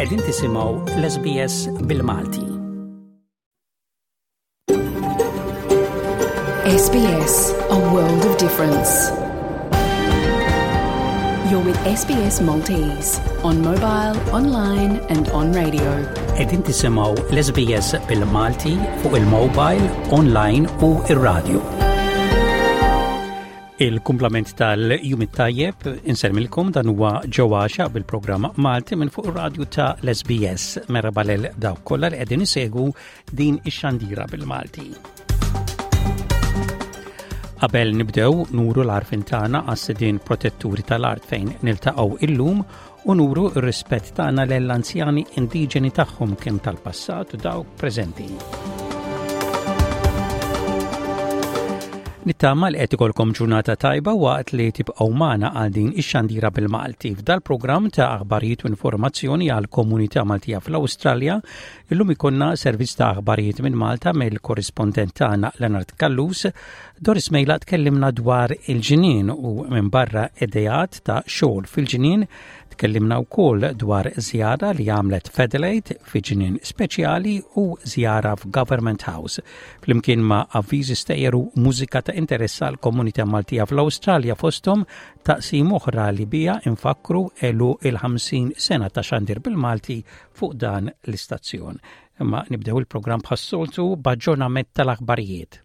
Qegħdin tisimgħu l-SBS bil-Malti. SBS, a world of difference. You're with SBS Maltese on mobile, online and on radio. Qegħdin tisimgħu l-SBS bil-Malti fuq il-mobile, online u ir-radio. Il-kumplament tal-jum it-tajjeb insellmilkom dan huwa ġewwaxa bil-programm Malti minn fuq ir-radju ta' l-SBS. Merħba lil dawk kollha li qegħdin isegwu din ix-xandira bil-Malti. Qabel nibdew nuru l-arfin tagħna għas-sidien protetturi tal-art fejn niltaqgħu illum u nuru r-rispett tagħna lill-anzjani indiġeni tagħhom kemm tal-passat u dawk preżenti. Nittama li qed ikolkom ġurnata tajba waqt li tibqgħu magħna għal din ix-xandira bil-Malti. F'dal-programm ta' aħbarijiet u informazzjoni għal komunità Maltija fl-Awstralja, illum ikonna servizz ta' aħbarijiet minn Malta mill-korrispondent tagħna Leonard Callus, Doris Mejla tkellimna dwar il-ġnien u minbarra ideat ta' xogħol fil-ġnien, tkellimna wkoll dwar żjara li għamlet f'Adelaide fi ġnien speċjali u żjara f'Government House. Flimkien ma' avviżi stejjer u mużika ta' interess għal komunità Maltija fl-Awstralja fosthom taqsim oħra li bija infakkru elu il-50 sena ta' xandir bil-Malti fuq dan l-istazzjon. Imma nibdew il-programm bħas-soltu b'aġġornament tal-aħbarijiet.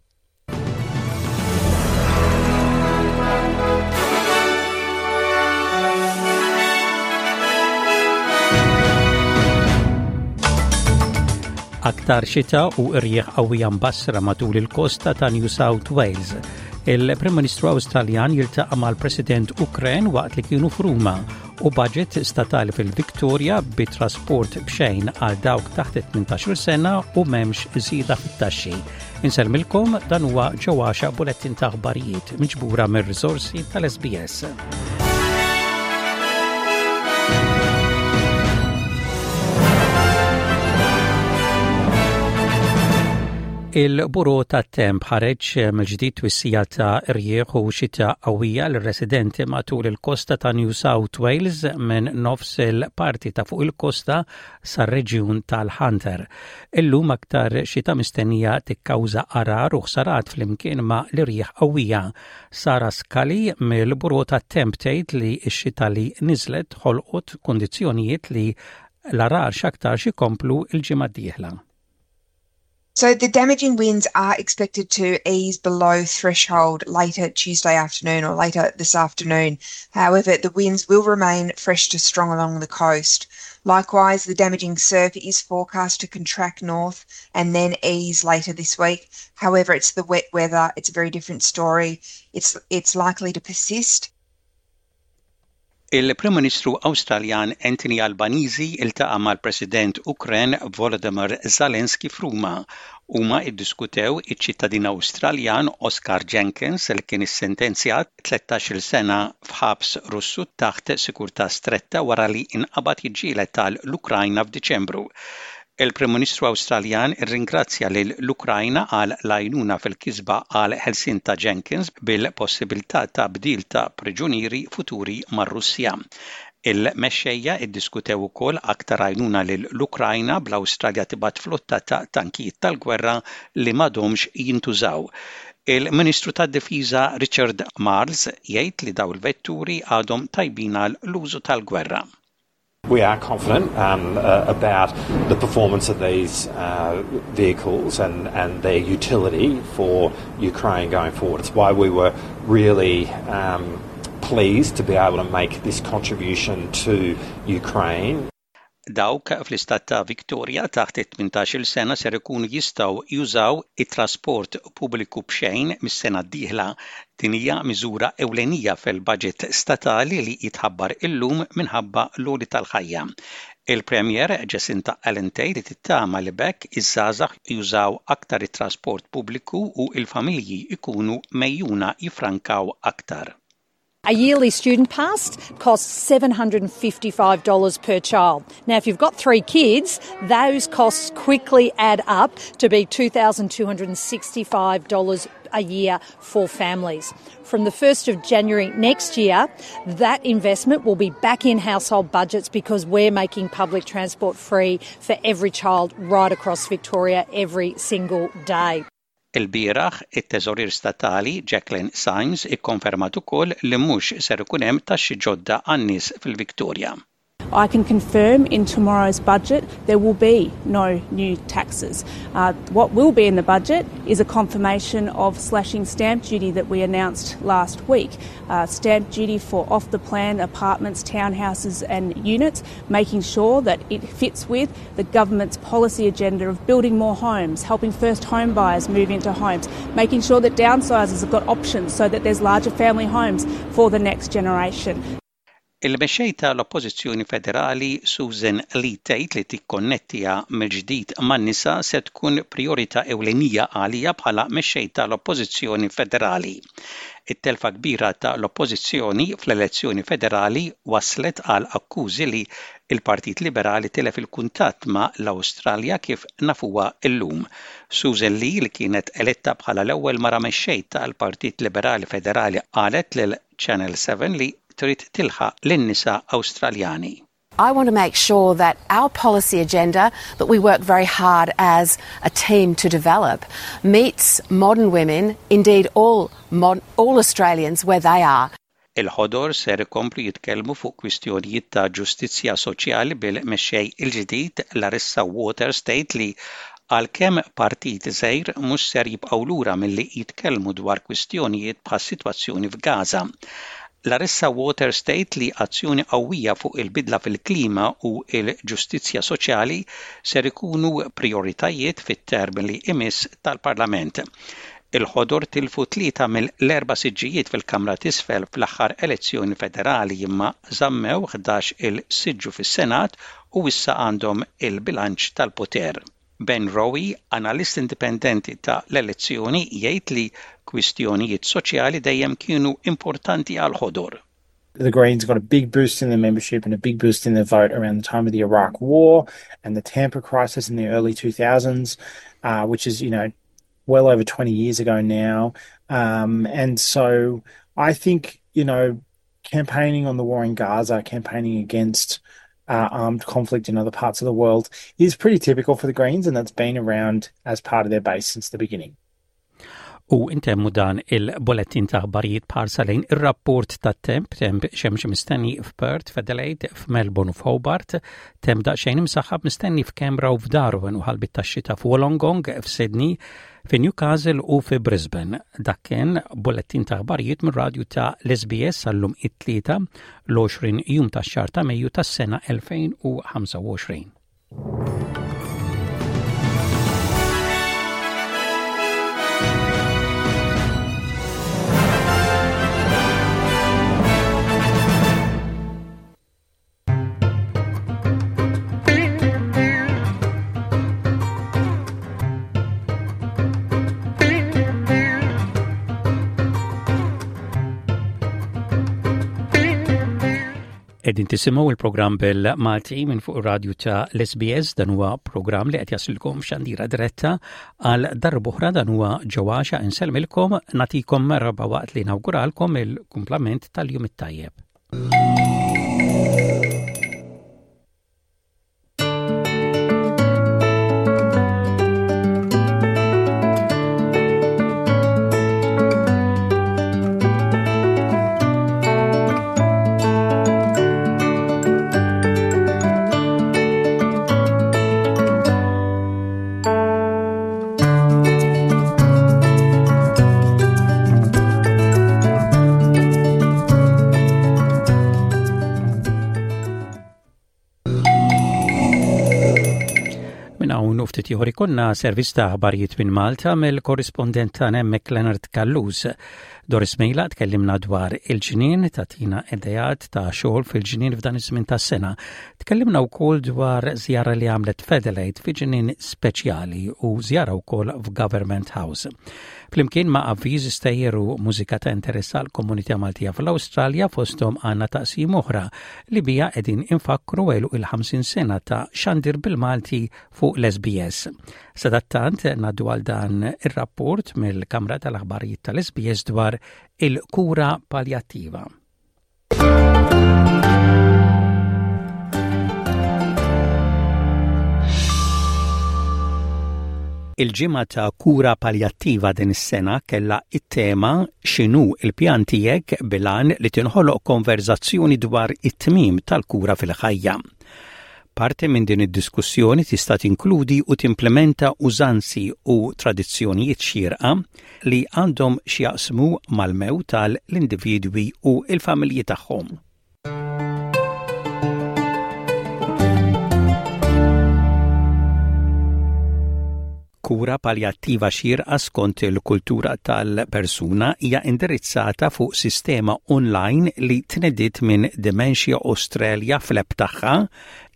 Aktar xita u rjieħ qawwija mbassra matul il-kosta ta' New South Wales. Il-Prim Ministru Awstraljan jiltaqa' mal-President Ukren waqt li kienu f'Ruma u budget statali fil-Victoria bi trasport b'xejn għal dawk taħt 18 sena u m'hemmx żieda fit-taxxi. Insellmilkom dan huwa ġewwaxa bulettin ta' aħbarijiet miġbura mir-riżorsi tal-SBS. Il-Buro tat-Temp ħareġ mill-ġdid twissija ta' rjieħ u xita qawwija lir-residenti matul il-kosta ta' New South Wales minn nofs il-parti ta' fuq il-kosta sar-reġjun tal-Hunter. Illum aktar xita mistennija tikkawża għarar u ħsarat flimkien ma' l-irjieħ qawwija. Sara Scully mill-Bureau tat-Temp tgħid li x-xita li niżlet ħolqot kundizzjonijiet li l-għarar x'aktarx ikomplu l-ġimgħa d-dieħla. So the damaging winds are expected to ease below threshold later Tuesday afternoon or later this afternoon. However, the winds will remain fresh to strong along the coast. Likewise, the damaging surf is forecast to contract north and then ease later this week. However, it's the wet weather, it's a very different story. It's, it's likely to persist. Il-Prim Ministru Awstraljan Anthony Albanese iltaqa' mal-President Ukren Volodymyr Zelensky f'Ruma. Huma ddiskutew iċ-ċittadin Awstraljan Oscar Jenkins li kien issentenzjat 13-il sena f'ħabs Russu taħt sigurtà stretta wara li nqabad jiġġieled għal l-Ukrajna f'Diċembru. Il-Prim Ministru Awstraljan irringrazzja lil l-Ukrajna għal l-għajnuna fil-kisba għal ħelsien ta' Jenkins bil-possibilità ta' bdil ta' priġunieri futuri mar-Russja. Il-mexxejja ddiskutew ukoll aktar għajnuna lil l-Ukrajna bl-Awstralja tibgħat flotta ta' tankijiet tal-gwerra li m'għadhomx jintużaw. Il-Ministru tad-Difiża Richard Marles jgħid li dawn il-vetturi għadhom tajbin għal l-użu tal-gwerra. We are confident um, uh, about the performance of these uh, vehicles and, and their utility for Ukraine going forward. It's why we were really um, pleased to be able to make this contribution to Ukraine. Dawk fl-istat ta' Victoria taħt it-18-il sena ser ikunu jistgħu jużaw it-trasport pubbliku b'xejn mis-sena d-dieħla. Din hija miżura ewlenija fil-baġit statali li jitħabbar illum minħabba l-għoli tal-ħajja. Il-Premier Jacinta Allen tgħid li tittama li b'hekk iż-żgħażagħ jużaw aktar it-trasport pubbliku u l-familji jkunu megħjuna jiffrankaw aktar. A yearly student pass costs $755 per child. Now, if you've got three kids, those costs quickly add up to be $2,265 a year for families. From the 1st of January next year, that investment will be back in household budgets because we're making public transport free for every child right across Victoria every single day. Ilbieraħ, it-Teżorier Statali Jacqueline Symes ikkonfermat ukoll li mhux ser ikun hemm taxxi ġodda għan-nies fil-Victoria. I can confirm in tomorrow's budget there will be no new taxes. Uh, what will be in the budget is a confirmation of slashing stamp duty that we announced last week. Uh, stamp duty for off the plan apartments, townhouses, and units, making sure that it fits with the government's policy agenda of building more homes, helping first home buyers move into homes, making sure that downsizers have got options so that there's larger family homes for the next generation. Il-Mexxej ta' l-Oppożizzjoni Federali Susan Lee tgħid li tikkonnettija mill-ġdid man-nisa se tkun prijorità ewlenija għaliha bħala Mexxej ta' l-Oppożizzjoni Federali. It-telfa kbira ta' l-Oppożizzjoni fl-elezzjoni federali wasslet għal akkużi li l-Partit Liberali tilef il-kuntatt ma' l-Awstralja kif nafuha llum. Susan Lee li kienet eletta bħala l-ewwel mara mexxej tal-Partit Liberali Federali qalet lil Channel 7 li trid tilħaq lin-nisa Awstraljani. I want to make sure that our policy agenda that we work very hard as a team to develop meets modern women, indeed all, mod all Australians where they are. Il-Ħodor ser ikomplu jitkellmu fuq kwistjonijiet ta' ġustizzja soċjali bil-mexxej il-ġdid Larissa Waters tgħid li għalkemm partit żgħir mhux ser jibqgħu lura milli jitkellmu dwar kwistjonijiet bħas-sitwazzjoni f'Gaza. Larissa Waters tgħid li azzjoni qawwija fuq il-bidla fil-klima u l-ġustizzja soċjali ser ikunu prijoritajiet fit-term li imiss tal-Parlament. Il-Ħodor tilfu tlieta mill-erba' siġġijiet fil-Kamra t'Isfel fl-aħħar elezzjoni federali imma żammew 11-il siġġu fis-Senat u issa għandhom il-bilanċ tal-poter. Ben Rowe, analist indipendenti ta' l-elezzjoni, jgħid li kwistjonijiet soċjali dejjem kienu importanti għall-Ħodor. The Greens got a big boost in their membership and a big boost in their vote around the time of the Iraq War and the Tampa crisis in the early 2000s, uh, which is, you know, well over 20 years ago now. Um, and so I think, you know, campaigning on the war in Gaza, campaigning against uh, armed conflict in other parts of the world is pretty typical for the Greens, and that's been around as part of their base since the beginning. U intemmu dan il-bolettin ta' aħbarijiet b'ħarsa lejn ir-rapport tat-temp, temp xemx mistenni f'Perth, f'Adelaide, f'Melbourne u f'Hobart, temp daqsxejn imsaħħab mistenni f'Canberra u f'Darwin u ħalbit tax-xita f'Wollongong, f'Sydney, fi Newcastle u fi Brisbane. Dak kien bolettin ta' aħbarijiet mir-radju ta' l-SBS għallum it-tlieta l-20 jum tax-xahar ta' Mejju tas-sena 2025. Qegħdin tisimgħu il-programm bil-Malti minn fuq ir-radju ta' l-SBS dan huwa programm li qed jasilkom xandira diretta għal darb'oħra dan huwa ġewwaxa insellmilkom nagħtikom merħba waqt li nawguralkom il-kumplament tal-jum it-tajjeb. Minn hawn u ftit ieħor ikollna servizz ta' aħbarijiet minn Malta mill-korrispondent tagħna hemmhekk Leonard Callus. Doris Mejla tkellimna dwar il-ġnien, tagħtina ideat ta' xogħol fil-ġnien f'dan iż-żmien tas-sena. Tkellimna wkoll dwar żjara li għamlet f'Adelaide fi ġnien speċjali u żjara wkoll f'Government House. Flimkien ma' avviż stejjer u mużika ta' interess għall-komunità Maltija fl-Awstralja fosthom għandna taqsim oħra li biha qegħdin infakkru għeluq il-50 sena ta' xandir bil-Malti fuq l-SBS. Sadattant ngħaddu għal dan ir-rapport mill-Kamra tal-Aħbarijiet tal-SBS dwar il-kura paljattiva. Il-ġimgħa ta' kura paljattiva din is-sena kellha it-tema x'inhu l-pjan tiegħek bil-għan li tinħoloq konverżazzjoni dwar it-tmiem tal-kura fil-ħajja. Parti minn din id-diskussjoni tista' tinkludi u timplementa użanzi u tradizzjonijiet xierqa li għandhom x'jaqsmu mal-mewt tal individwi u l-familji tagħhom. Kura paljattiva xierqa skont il-kultura tal-persuna hija indirizzata fuq sistema online li tnediet minn Dementia Australia fl-app tagħha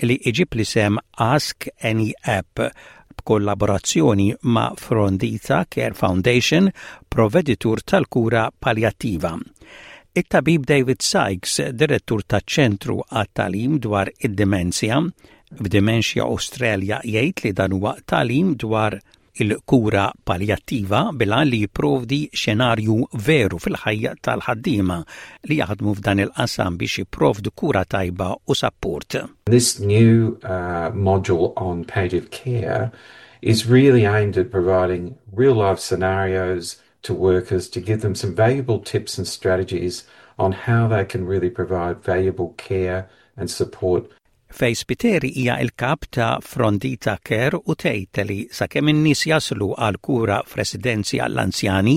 li iġib l-isem Ask Any App b'kollaborazzjoni ma' Frondita Care Foundation, provveditur tal-kura paljattiva. It-tabib David Sykes, direttur taċ-Ċentru għat-Tagħlim dwar id-Dimenzja, f'Dementia Australia jgħid li dan huwa tagħlim dwar il-kura paljattiva bil-għan li jipprovdi xenarju veru fil-ħajja tal-ħaddiema li jaħdmu f'dan il-qasam biex jipprovdu kura tajba u sapport. This new uh, module on palliative care is really aimed at providing real life scenarios to workers to give them some valuable tips and strategies on how they can really provide valuable care and support Faye Spiteri hija l-kap ta' Frondita Care u tgħid li sakemm in-nies jaslu għal kura f'residenzi għall-anzjani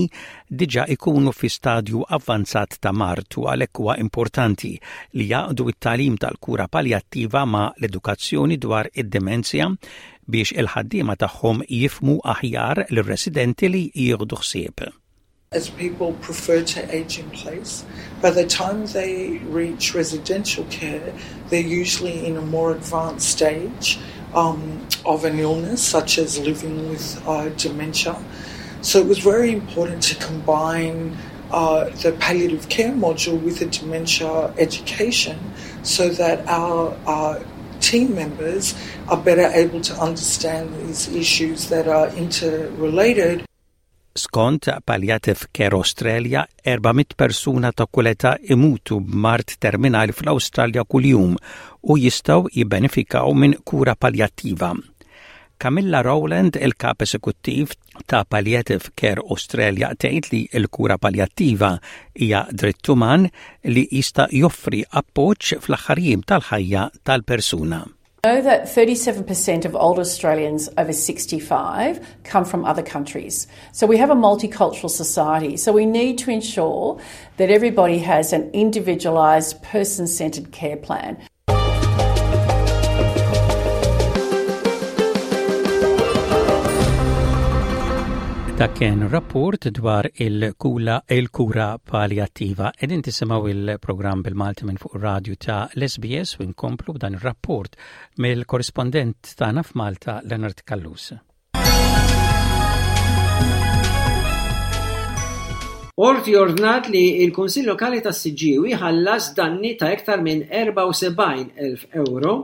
diġà ikunu fi stadju avvanzat ta' mard u għalhekk huwa importanti li jgħaqqdu t-tagħlim tal-kura paljattiva ma' l-edukazzjoni dwar id-dimenzja biex il-ħaddiema tagħhom jifhmu aħjar lir-residenti li jieħdu ħsieb. As people prefer to age in place. By the time they reach residential care, they're usually in a more advanced stage um, of an illness, such as living with uh, dementia. So it was very important to combine uh, the palliative care module with the dementia education so that our uh, team members are better able to understand these issues that are interrelated. Skont Palliative Care Australia, 400 persuna ta' kull età imutu b'mard terminali fl-Awstralja kuljum u jistgħu jibbenefikaw minn kura paljattiva. Camilla Rowland, il-kap esekuttiv ta' Palliative Care Australia tgħid li l-kura paljattiva hija dritt uman li jista' joffri appoġġ fl-aħħar jiem tal-ħajja tal-persuna. Know that 37% of older Australians over 65 come from other countries. So we have a multicultural society. So we need to ensure that everybody has an individualised, person centred care plan. Dak kien rapport dwar il-kula il-kura paljattiva. Qegħdin tisimgħu il-programm bil-Malti minn fuq ir-radju ta' l-SBS u nkomplu b'dan ir-rapport mill-korrispondent tagħna f'Malta Leonard Callus. Qorti ordnat li l-Kunsill Lokali tas-Siġġiewi ħallas danni ta' iktar minn 74,000 ewro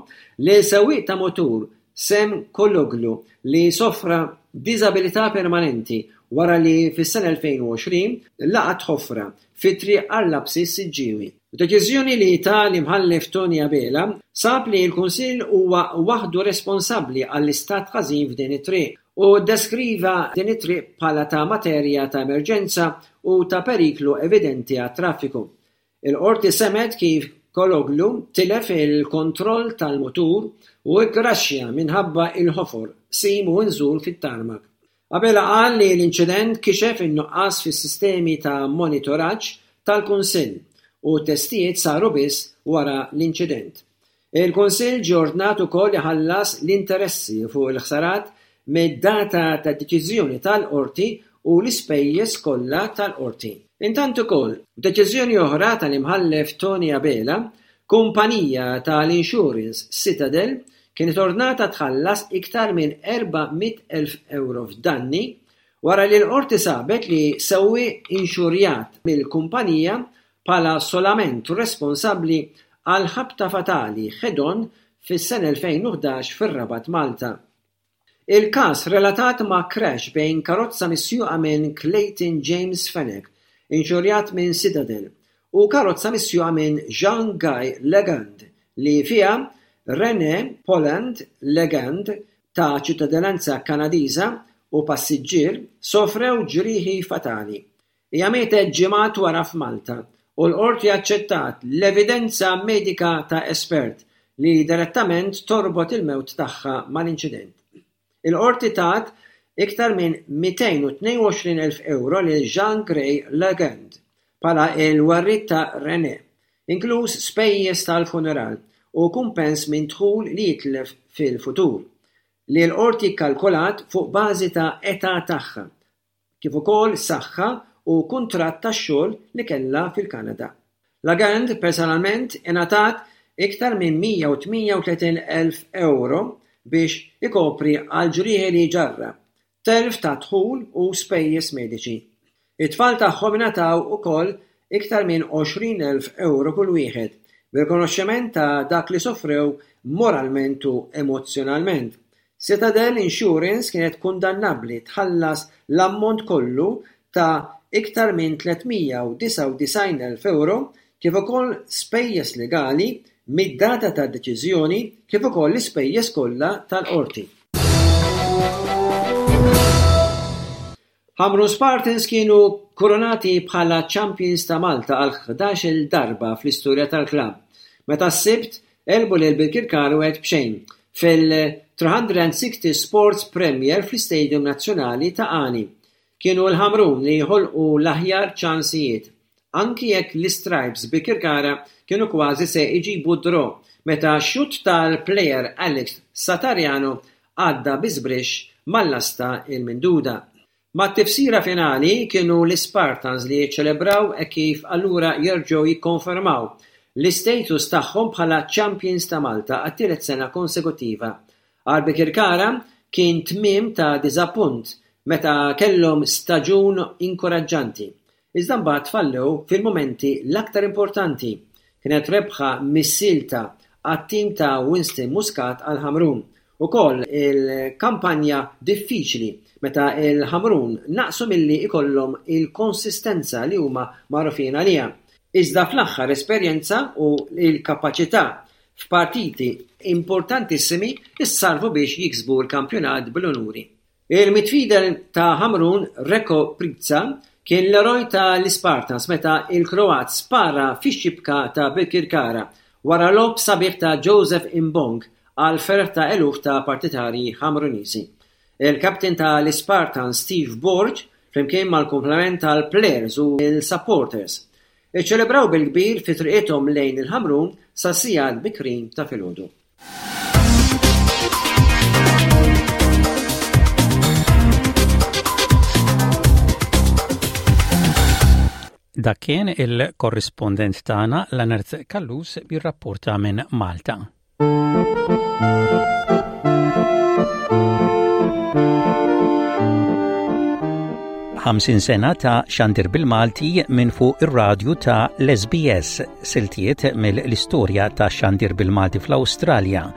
lil sewwieq ta' mutur Sem Kologlu li sofra diżabilità permanenti wara li fis-sena 2020 laqat ħofra fi Triq Għar-Lapsi s-Siġġiewi. F'deċiżjoni li ta l-Imħallef Tony Abela sab li l-Kunsill huwa waħdu responsabbli għall-istat ħażin f'din it-triq u ddeskriva din it-triq bħala ta' materja ta' emerġenza u ta' periklu evidenti għat-traffiku. Il-Qorti semgħet kif Kologlu tilef il-kontroll tal-mutur u kkraxxja minħabba l-ħofor, qsim u nżul fit-tarmak. Abela qal li l-inċident kixef in-nuqqas fis-sistemi ta' monitoraġġ tal-Kunsill u t-testijiet saru biss wara l-inċident. Il-Kunsill ġie ordnat ukoll iħallas l-interessi fuq il-ħsarat mid-data tad-deċiżjoni tal-Qorti u l-ispejjeż kollha tal-Qorti. Intant ukoll, f'deċiżjoni oħra tal-Imħallef Tony Abela, kumpanija tal-insurance Citadel kienet ordnata tħallas iktar minn 400,000 ewro f'danni wara li l-Qorti sabet li sewwieq inxurjat mill-kumpanija bħala solament responsabbli għal ħabta fatali head-on fis-sena 2011 fir-Rabat Malta. Il-każ relatat ma' crash bejn karozza misjuqa minn Clayton James Fenech, inxurjat minn Citadel, u karozza misjuqa minn Jean Guy Legand li fiha Rene Poland Legand ta' ċittadinanza Kanadiża u passiġġier sofrew ġrieħi fatali. Hija mietet ġimgħat wara f'Malta u l-Qorti aċċettat l-evidenza medika ta' espert li direttament torbot il-mewt tagħha mal-inċident. Il-Qorti tat iktar minn 222 elf ewro lil Jean Grey Legend bħala l-werriet ta' Renee, inkluż spejjeż tal-funeral u kumpens minn dħul li jitlef fil-futur, li l-Qorti kkalkulat fuq bażi ta' età tagħha, kif ukoll saħħa u kuntratt ta' xogħol li kellha fil-Kanada. Lagand personalment ingħatat iktar minn 138,000 ewro biex ikopri għall-ġrieħi li ġarrab, telf ta' dħul u spejjeż mediċi. It-tfal tagħhom ingħataw ukoll iktar minn 20,000 ewro kull wieħed, b'rikonoxximent ta' dak li sofrew moralment u emozzjonalment. Citadel Insurance kienet kundannabbli tħallas l-ammont kollu ta' iktar minn 399,000 ewro kif ukoll spejjeż legali mid-data tad-deċiżjoni kif ukoll l-ispejjeż kollha tal-qorti. Ħamrun Spartans kienu kurunati bħala champions ta' Malta għal 11-il darba fl-istorja tal-klabb, meta s-Sibt għelbu lil Birkirkara 1-0 fil-360 Sports Premier fl-Istadium Nazzjonali ta' Qani. Kienu l-Ħamrun li ħolqu l-aħjar ċansijiet, anki jekk l-Istripes Birkirkara kienu kważi se jġibu d-draw meta xutt tal-plejer Alex Satariano għadda bi żbrixx mal-lasta l-minduda. Mat-tifsira finali kienu l-Ispartans li ċċelebraw hekk kif allura jerġgħu jikkonfermaw l-istatus tagħhom bħala champions ta' Malta għat-tielet sena konsekuttiva. Għal Birkirkara kien tmiem ta' diżappunt meta kellhom staġun inkoraġġanti, iżda mbagħad fallew fil-mumenti l-aktar importanti. Kienet rebħa missielta għat-tim ta' Winston Muscat għal Ħamrun. Ukoll il-kampanja diffiċli meta l-Ħamrun naqsu milli jkollhom il-konsistenza li huma magħrufin għaliha. Iżda fl-aħħar esperjenza u l-kapaċità f'partiti importantissimi ssarrfu biex jiksbu l-kampjonat bl-unuri. Il-midfielder ta' Ħamrun Reko Prica kien l-eroj ta' l-Ispartans meta l-Kroat spara fix-xibka ta' Birkirkara wara logħob sabiħ ta' Joseph Imbong għall-ferħ ta' eluf ta' partitarji Ħamruniżi. Il-captain ta' l-Ispartans Steve Borg flimkien mal-kumplament tal-plejers u l-supporters iċċelebraw bil-kbir fi triqithom lejn il-Ħamrun sas-sigħat bikrin ta' filgħodu. Dak kien il-korrispondent tagħna Leonard Callus jirrapporta minn Malta. 50 sena ta' xandir bil-Malti minn fuq ir-radju ta' l-SBS, siltiet mill-istorja ta' xandir bil-Malti fl-Awstralja,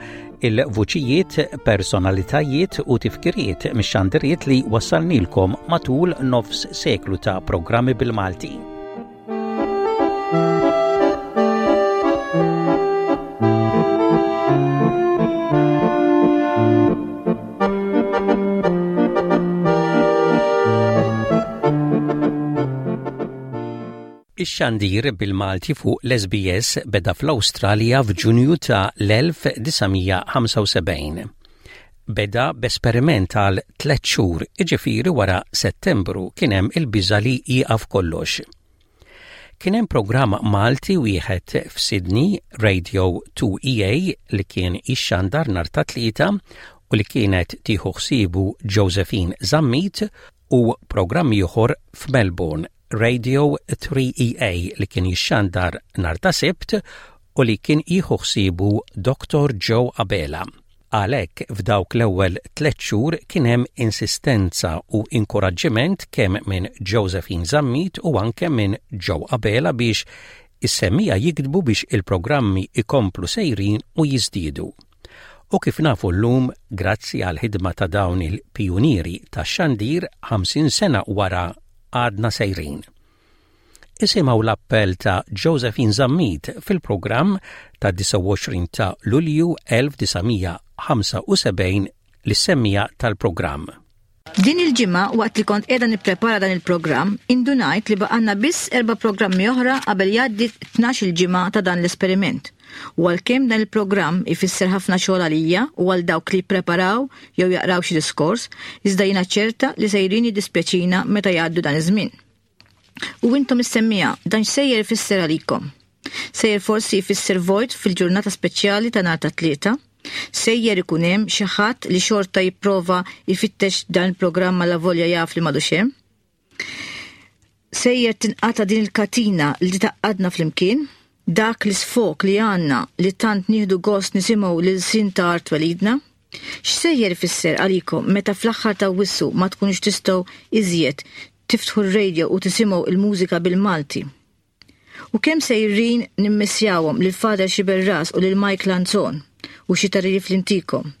il-vuċijiet, personalitajiet u tifkiriet mix-xandiriet li wassalnilkom matul nofs seklu ta' programmi bil-Malti. Ix-xandir bil-Malti fuq l-SBS beda fl-Awstralja f'Ġunju ta' l-1975. Beda b'esperiment għal tlett xhur, jiġifieri wara Settembru kien hemm il-biża' li jieqaf kollox. Kien hemm programm Malti wieħed f'Sydney, Radio 2EA, li kien jixxandar nhar ta' Tlieta u li kienet tieħu ħsiebu Josephine Zammit u programm ieħor f'Melbourne, Radio 3EA li kien jixxandar nhar ta' Sibt u li kien jieħu ħsiebu Dr. Joe Abela. Għalhekk f'dawk l-ewwel tlett xhur kien hemm insistenza u inkoraġġiment kemm minn Josephine Zammit u anke minn Joe Abela biex is-semmiegħa jiktbu biex il-programmi jkomplu sejrin u jiżdiedu. U kif nafu llum, grazzi għall-ħidma ta' dawn il-pijunieri tax-xandir, 50 sena wara għadna sejrin. Isimgħu l-appell ta' Josephine Zammit fil-programm tad-29 ta' Lulju 1975 lis-semmiegħa tal-programm. Din il-ġimgħa waqt li kont qiegħda nipprepara dan il-programm, indunajt li baqgħalna biss erba' programmi oħra qabel jgħaddi t-tnax-il ġimgħa ta' dan l-esperiment. U għalkemm dan il-programm ifisser ħafna xogħol għalija u għal dawk li jippreparaw jew jaqraw xi diskors, iżda jiena ċerta li sejrin jiddispjaċina meta jgħaddu dan iż-żmien. U intom is-semmiegħa, dan x'sejjer ifisser għalikom? Sejjer forsi jfisser vojt fil-ġurnata speċjali ta' nhar ta' Tlieta? Sejjer ikun hemm xi ħadd li xorta jipprova jfittex dan il-programm allavolja jaf li m'għadux hemm? Sejjer tinqata' din il-katina li tgħaqqadna flimkien? Dak l-isfog li għandna li tant nieħdu gost nisimgħu l-ilsien ta' art twelidna? X'sejjer ifisser għalikom meta fl-aħħar t'Awwissu ma tkunux tistgħu iżjed tiftħu r-radio u tisimgħu l-mużika bil-Malti? U kemm sejrin nimmissjawhom lil Father Xiberras u lil Mike Lanzon u xi tagħrif li ntikom.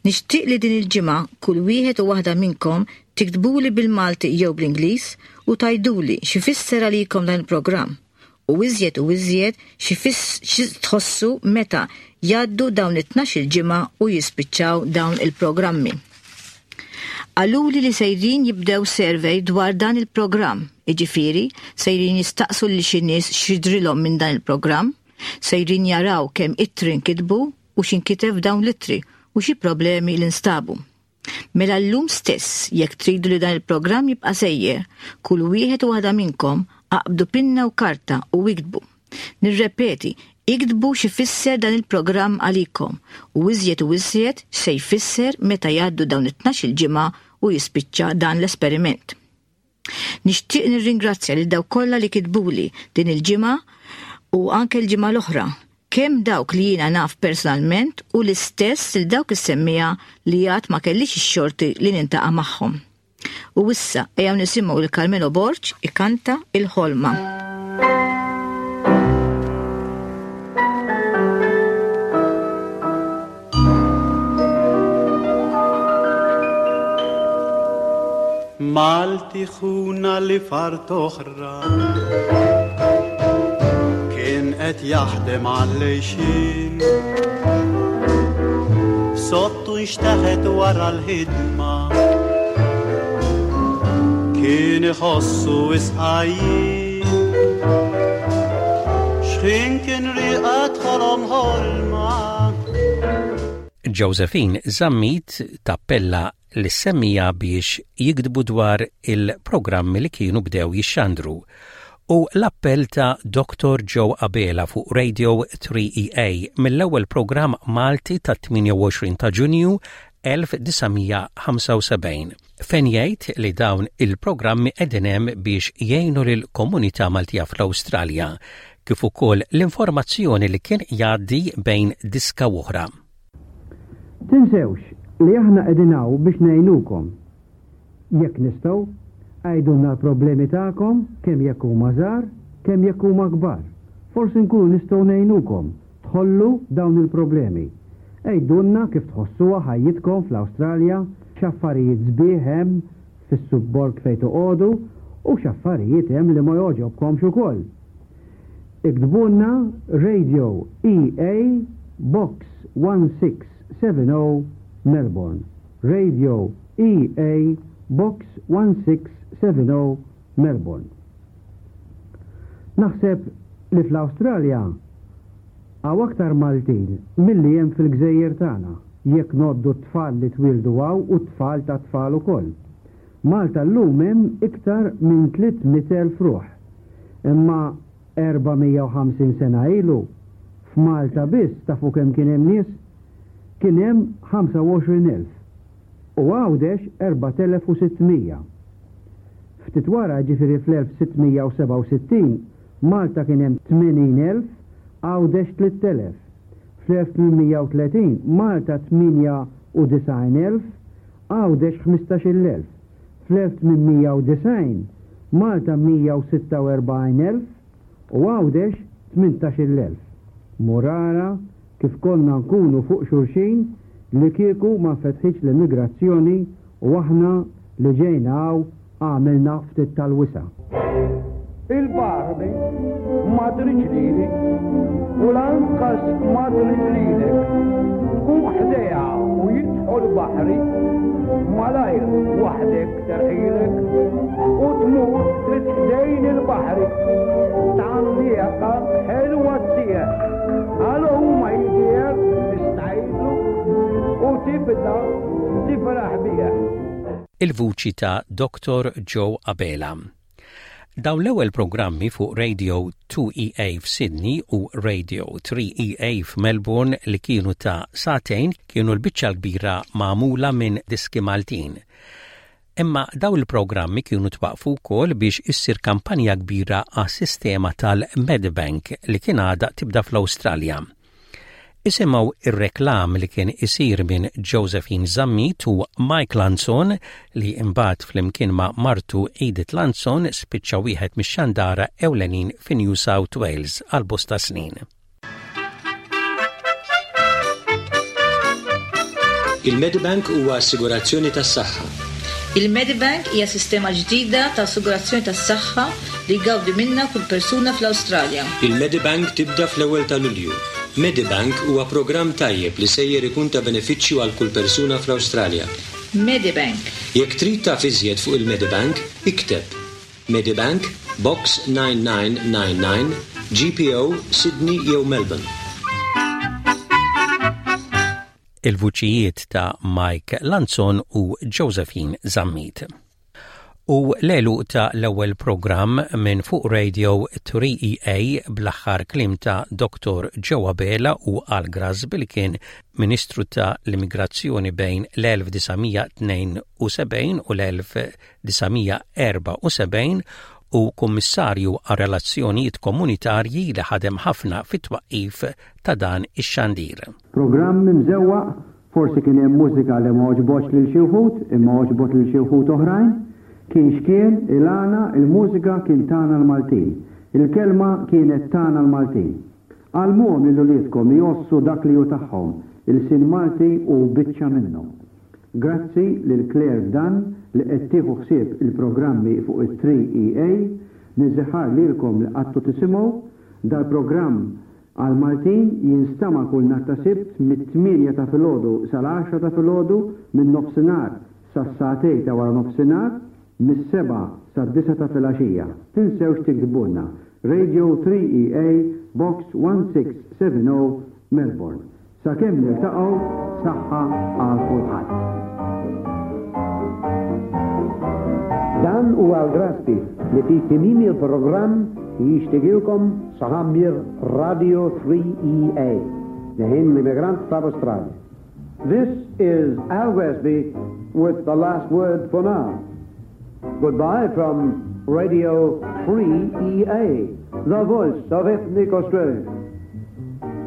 Nixtieq li din il-ġimgħa kull wieħed u waħda minnkom tiktbuli bil-Malti jew bl-Ingliż u tgħiduli x'ifisser għalikom dan il-programm u iżjed u iżjed xi tħossu meta jgħaddu dawn it-tnax-il ġimgħa u jispiċċaw dawn il-programmi. Qaluli li sejrin jibdew survey dwar dan il-programm, jiġifieri sejrin jistaqsu lil xi nies x'jidhrilhom minn dan il-programm, sejrin jaraw kemm ittri nkitbu u x'inkiteb f'dawn l-ittri u xi problemi li nstabu. Mela llum stess, jekk tridu li dan il-programm jibqa' sejjer, kull wieħed u waħda minnkom aqbdu pinna u karta u iktbu. Nirrepeti, iktbu x'ifisser dan il-programm għalikom u iżjed u iżjed x'se jfisser meta jgħaddu dawn it-tnax-il ġimgħa u jispiċċa dan l-esperiment. Nixtieq nirringrazzja lil dawk kollha li kitbuli din il-ġimgħa u anke l-ġimgħa l-oħra, kemm dawk li jiena naf personalment u l-istess lil dawk is-semmiegħa li għad ma kellix ix-xorti li niltaqa' magħhom. U issa ejjew nisimgħu lil Carmelo Borg ikanta Il-Ħolma. Malti ħuna li fart oħra kien qed jaħdem għall-għixien. Sottu nxteħet wara l-ħidma kien iħossu isqajjin. Xħin kien riqad ħolom ħolma. Josephine Zammit tappella lis-semmiegħa biex jiktbu dwar il-programmi li kienu bdew jixxandru u l-appell ta' Dottor Joe Abela fuq Radio 3EA mill-ewwel programm Malti tat-28 ta' Ġunju 1975 fejn jgħid li dawn il-programmi qegħdin hemm biex jgħinu lill-komunità Maltija fl-Awstralja kif ukoll l-informazzjoni li kien jgħaddi bejn diska u oħra. Tinsewx li aħna qegħdin hawn biex ngħinukom. Jekk nistgħu, għidulna l-problemi tagħkom kemm jekk huma żgħar, kemm jekk huma kbar. Forsi nkunu nistgħu ngħinukom tħollu dawn il-problemi. Għidulna kif tħossuha ħajjitkom fl-Awstralja, x'affarijiet sbieħ hemm fis-subborg fejn toqogħdu u x'affarijiet hemm li ma jogħġobkomx ukoll. Iktbulna Radio EA Box 1670 Melbourne. Radio EA Box 1670 Melbourne. Naħseb li fl-Awstralja hawn aktar Maltin milli hemm fil-gżejjer tagħna, jekk ngħoddu t-tfal li twieldu hawn u t-tfal tat-tfal ukoll. Malta llum hemm iktar minn 300,000 ruħ. Imma 450 sena ilu, f'Malta biss tafu kemm kien hemm nies? Kien hemm 25,000. U Għawdex 4,600. Ftit wara, jiġifieri fl-1667, Malta kien hemm 80,000, Għawdex 3,000. Fl-1830 Malta 98,000, Għawdex 15,000. Fl-1890 Malta 146,000 u Għawdex 18,000. Mur ara kif konna nkunu fuq xulxin li kieku ma nfetħitx l-immigrazzjoni u aħna li ġejna hawn għamilna ftit tal-wisa'. Il-Barbi ma tridx lili u lanqas ma trid lilek. Tkun ħdejha u jidħol baħri, malajr waħdek terħilek u tmur trid ħdejn il-baħri. Tgħanniqa ħelwa ttieħ. Għal huma jidher tistgħidlu u tibda tifraħ bih. Il-vuċi ta' Dottor Joe Abela. Dawn l-ewwel programmi fuq Radio 2EA f'Sydney u Radio 3EA f'Melbourne li kienu ta' sagħtejn kienu l-biċċa l-kbira magħmula minn diski Maltin. Imma dawn il-programmi kienu twaqqfu wkoll biex issir kampanja kbira għas-sistema tal-Medibank li kien għadha tibda fl-Awstralja. Isimgħu r-reklam li kien isir minn Josephine Zammit u Mike Lanzon li imbagħad flimkien ma' martu Edith Lanzon spiċċa wieħed mix-xandara ewlenin fi New South Wales għal bosta snin. Il-Medibank huwa assigurazzjoni tas-saħħa. Il-Medibank hija sistema ġdida ta' assigurazzjoni tas-saħħa li jgawdi minnha kull persuna fl-Awstralja. Il-Medibank tibda fl-ewwel ta' Lulju. Medibank huwa programm tajjeb li sejjer ikun ta' benefiċċju għal kull persuna fl-Awstralja. Medibank. Jekk trid taf iżjed fuq il-Medibank, ikteb, Medibank, Box 9999, GPO, Sydney jew Melbourne. Il-vuċijiet ta' Mike Lanzon u Josephine Zammit. U l-għeluq ta' l-ewwel programm minn fuq Radio 3EA bl-aħħar kliem ta' Dottor Joe Abela u Al Grasby li kien Ministru ta' l-Immigrazzjoni bejn l-1972 u l-1974 u Kummissarju għar-Relazzjonijiet Komunitarji li ħadem ħafna fit-twaqqif ta' dan ix-xandir. Programm imżewwaq, forsi kien hemm mużika li ma għoġbotx lil xi wħud imma għoġbot lil xi wħud oħrajn. Kien x'kien, il-għana, il-mużika kien tagħna l-Maltin. Il-kelma kienet tagħna l-Maltin. Għallmuhom lil uliedkom jgħossu dak li hu tagħhom, ilsien Malti hu biċċa minnhom. Grazzi lil Claire Dunn li qed tieħu ħsieb il-programmi fuq it-3EA. Niżiħar lilkom li qgħadtu tisimgħu dal-programm Għall-Maltin jinstama' kull nhar ta' Sibt mit-tmienja ta' filgħodu sal-għaxra ta' filgħodu, minn nofsinhar sas-sagħtej ta' wara nofsinhar, mis-sebgħa sad-disgħa ta' filgħaxija. Tinsewx tiktbulna, Radio 3EA, Box 1670, Melbourne. Sakemm niltaqgħu, saħħa għal kulħadd. Dan huwa l-Graspi li fi tmiem il-programm jixtieqilkom saħa mir Radio 3EA, leħen l-immigrant tal-Awstralja. This is Al Grassby with the last word for now. Goodbye from Radio 3EA, the voice of ethnic Australia.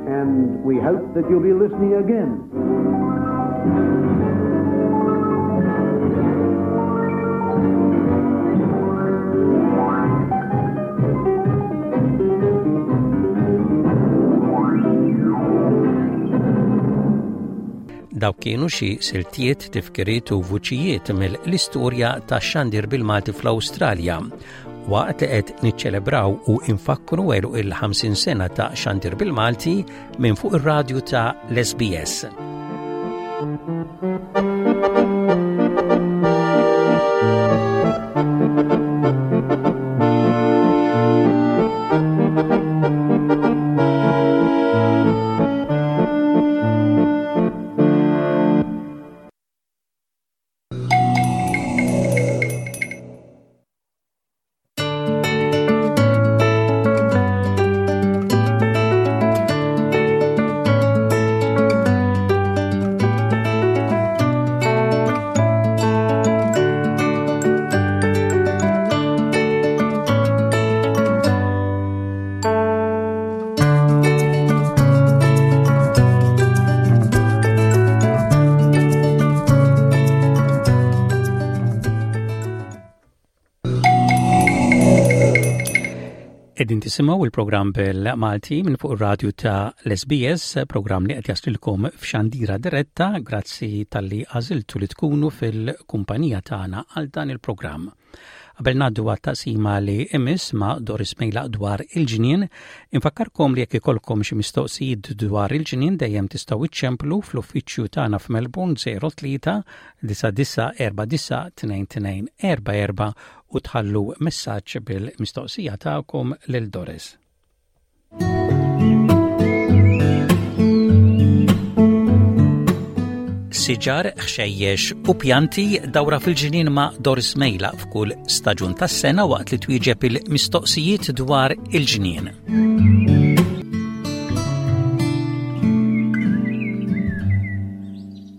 And we hope that you'll be listening again. Dawk kienu xi siltiet, tifkiriet u vuċijiet mill-istorja tax-xandir bil-Malti fl-Awstralja. Waqt li qed niċċelebraw u infakkru għeluq il-50 sena ta' xandir bil-Malti minn fuq ir-radju ta' l-SBS. Qegħdin tisimgħu il-programm bil-Malti minn fuq ir-radju ta' l-SBS, programm li qed jaslilkom f'xandira diretta grazzi talli għażiltu li tkunu fil-kumpanija tagħna għal dan il-programm. Qabel ngħaddu għat-taqsima li imiss ma' Doris Mejlaq dwar il-ġnien, infakkarkom li jekk ikollkom xi mistoqsijiet dwar il-ġnien dejjem tistgħu iċċemplu fl-uffiċċju tagħna f'Melbourne 03 9949 2244 u tħallu messaġġ bil-mistoqsija tagħkom lil Doris. Siġar, ħxejjex u pjanti dawra fil-ġnien ma' Doris Mejla f'kull staġun tas-sena waqt li twieġeb il-mistoqsijiet dwar il-ġnien.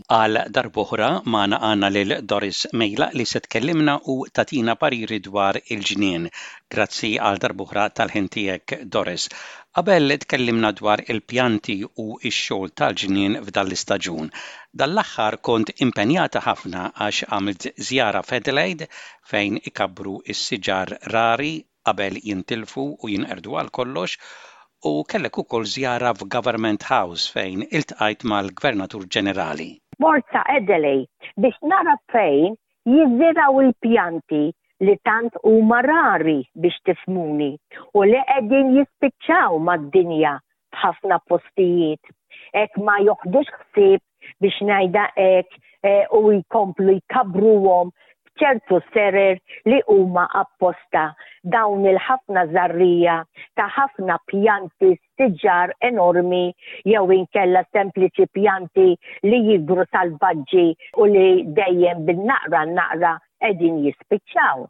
Għal darb'oħra magħna għandna lil Doris Mejlaq li se tkellimna u tagħtina pariri dwar il-ġnien. Grazzi għal darb'oħra tal-ħin tiegħek Doris. Qabel tkellimna dwar il-pjanti u x-xogħol tal-ġnien f'dan l-istaġun. Dan l-aħħar kont impenjata ħafna għax għamilt żjara f'Adelaide fejn ikabbru s-siġar rari qabel jintilfu u jinqerdu għal kollox u kellek ukoll żjara f'Government House fejn iltqajt mal-Gvernatur Ġenerali. Mort sa Adelaide biex nara fejn jiżirgħu l-pjanti li tant huma rari biex tifhmuni u li qegħdin jispiċċaw mad-dinja f'ħafna postijiet. Hekk ma joħdux ħsieb biex ngħidha hekk eh, u jkomplu jkabbruhom b'ċertu serer li huma apposta dawn il-ħafna żarrija ta' ħafna pjanti siġar enormi jew inkella sempliċi pjanti li jikbru salvaġġi u li dejjem bin-naqra naqra qegħdin jispiċċaw.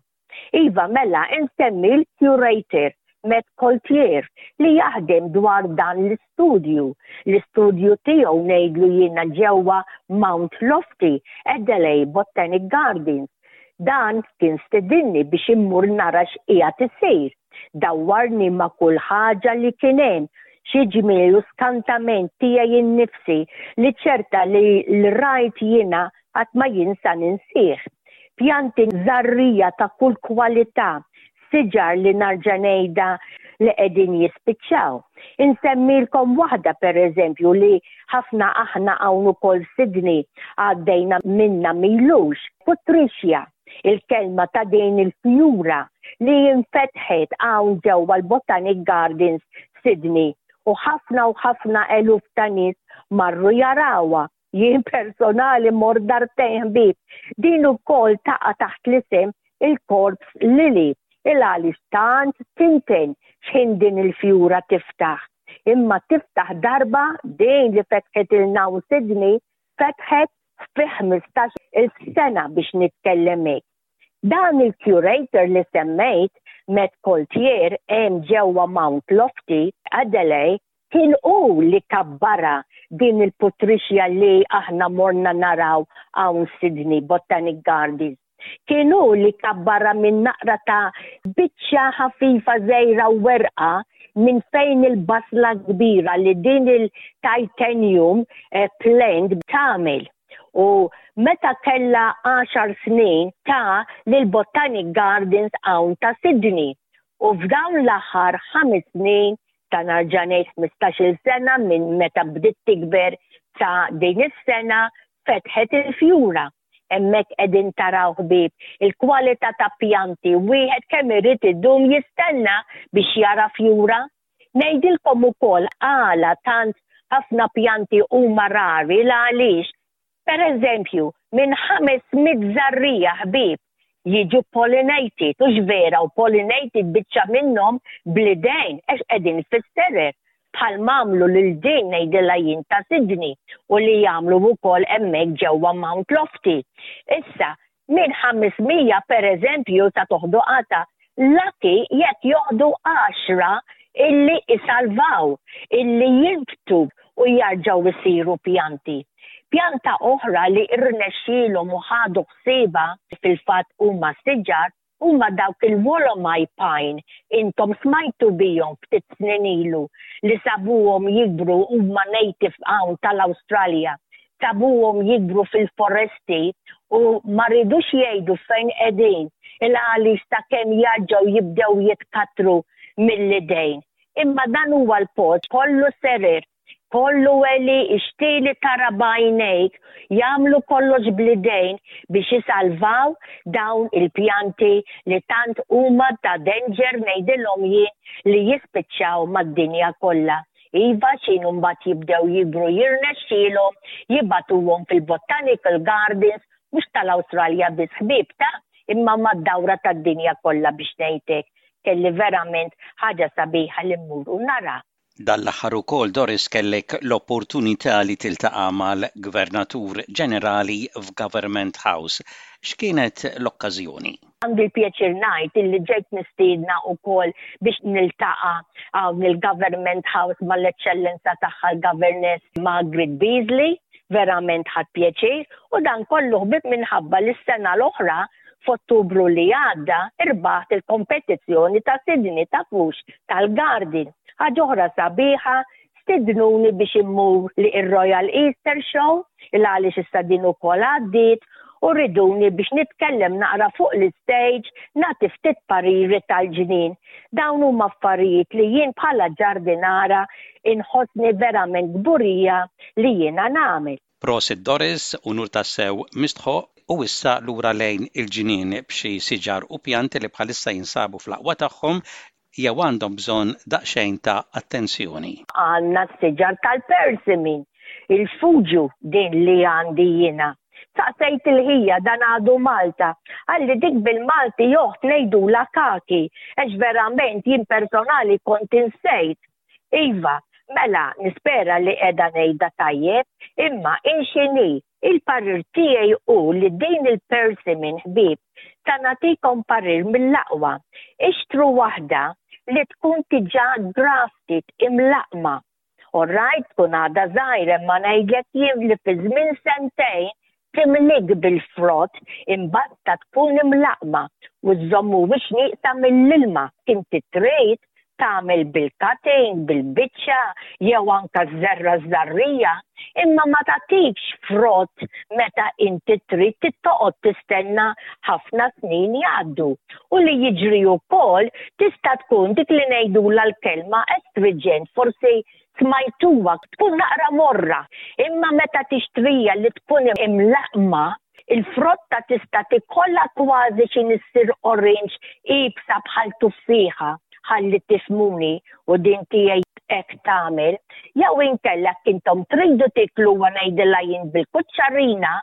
Iva mela insemmi l-curator Matt Coltier li jaħdem dwar dan l-istudju. L-istudju tiegħu ngħidlu jiena ġewwa Mount Lofty, Adelaide Botanic Gardens. Dan kien stedinni biex immur nara x'qiegħed isir. Dawwarni ma' kull ħaġa li kien hemm, xi ġmiel u skantament tiegħi nnifsi li ċerta li l-rajt jiena qatt ma jien sa ninsih. Pjanti żarrija ta' kull kwalità, siġar li narġa' ngħidha li qegħdin jispiċċaw. Insemmilkom waħda pereżempju li ħafna aħna hawn ukoll Sydney għaddejna minnha m'ilux, Putrixja, il-kelma ta' din il-fjura li infetħet hawn ġewwa l-Botanic Gardens Sydney u ħafna u ħafna eluf ta' nies marru jarawha Jien personali mort darbtejn ħbieb. Din ukoll taqa' taħt l-isem il-corpse lily il għaliex tant tinten x'ħin din il-fjura tiftaħ. Imma tiftaħ darba din li fetħitilna hawn Sydney fetħet fi 15 il sena biex nitkellem hekk. Dan il-curator li semmejt, Matt Coltier, hemm ġewwa Mount Lofty, Adelaide, Kien hu li kabbarha din il-putrixja li aħna morna naraw hawn Sydney Botanic Gardens. Kien hu li kabbarha minn naqra ta' biċċa ħafifa żgħira werqa minn fejn il-basla kbira li din il-titanium eh, plant tagħmel. U meta kellha 10 snin ta lil Botanic Gardens hawn ta' Sydney. U f'dawn l-aħħar ħames snin ta' narġa' ngħid 15-il sena minn meta bdiet tikber sa din is-sena fetħet il-fjura. Hemmhekk qegħdin taraw ħbieb il-kwalità ta' pjanti wieħed kemm irid idum jistenna biex jara fjura. Ngħidilkom ukoll għala tant ħafna pjanti huma rari l għaliex Per eżempju, minn 500 żarrija ħbieb jiġu pollinated, hux vera, u pollinated biċċa minnhom bl-idejn għax qegħdin fis-serer, bħal m'għamlu lil din ngħidilha jien ta' Sydney u li jagħmlu wkoll hemmhekk ġewwa Mount Lofty. Issa, minn 500 per eżempju sa toħdu qata, lucky jekk joħdu għaxra illi isalvaw, illi jinbtu u jarġgħu jsiru pjanti. Pjanta oħra li rnexxielhom u ħadu ħsiebha fil-fatt huma siġar huma dawk il-Wollomai Pine, intom smajtu bihom ftit snin ilu li sabuhom jikbru huma native hawn tal-Awstralja, sabuhom jikbru fil-foresti u ma ridux jgħidu fejn qegħdin il għaliex sakemm jarġgħu jibdew jitkattru. mill-idejn. Imma dan huwa l-post kollu serer, kollu għelieqi xtieli tara b'għajnejk jagħmlu kollox bl-idejn biex isalvaw dawn il-pjanti li tant huma ta' danger ngħidilhom jien li jispiċċaw mad-dinja kollha. Iva x'inhu mbagħad jibdew jikbru jirnexxielhom jibagħtuhom fil-botanical gardens mhux tal-Awstralja biss ħbieb ta' imma mad-dawra tad-dinja kollha biex ngħid hekk. Kelli verament ħaġa sabiħa li mmur u nara. Dan l-aħħar ukoll Doris kellek l-opportunità li tiltaqa' mal-Gvernatur Ġenerali f'Government House. X'kienet l-okkażjoni? Għandi l-pjaċir ngħid illi ġejt mistiedna wkoll biex niltaqa' hawn il-Government House mal-Eċċellenza Tagħha l-Governess Margaret Beazley. Verament ħadt pjaċir u dan kollu ħbieb minħabba li s-sena l-oħra f'Ottubru li għadda irbaħt il-kompetizzjoni ta' Sydney tafux tal-Garden. Ħaġa oħra sabiħa stidnuni biex immur li ir-Royal Easter Show il għaliex issa din ukoll għaddiet u riduni biex nitkellem naqra fuq l-istage nagħti ftit pariri tal-ġnien. Dawn huma affarijiet li jien bħala ġardinara inħossni verament kburija li jiena nagħmel. Prosit Doris, unur tassew mistħoqq u issa lura lejn il-ġnien b'xi siġar u pjanti li bħalissa jinsabu fl-aqwa tagħhom jew għandhom bżonn daqsxejn ta' attenzjoni. Għandna s-siġar tal-persimmon, il-fuġu din li għandi jiena. Saqsejt il-ħija dan għadu Malta, qalli dik bil-Malti oħt ngħidulha kaki, għax verament jien personali kont insejt. Iva, mela nispera li qiegħda ngħidha tajjeb, imma in x'inhi, il-parir tiegħi hu li din il-persimmon ħbieb ta' nagħtikom parir mill-aqwa, ixtru waħda li tkun diġà grafted, imlaqqma. All right tkun għadha żgħira imma ngħidlek jien li fi żmien sentejn timlik bil-frott imbagħad tkun imlaqqma u żżommuhiex nieqsa mill-ilma. Inti trid tagħmel bil-cutting, bil-biċċa jew anke żerra żarrija, imma ma tagħtikx frott meta inti trid trid toqgħod tistenna ħafna snin jgħaddu. U li jiġri wkoll tista' tkun dik li ngħidulha l-kelma astringent, forsi smajtuha, tkun naqra morra, imma meta tixtrija li tkun imlaqqma, il-frotta tista' tikollha kważi xi issir orange iebsa bħal tuffieħa, ħalli tifhmuni u din tiegħi hekk tagħmel, jew inkella jekk intom tridu tikluha ngħidilha jien bil-kuċċarina,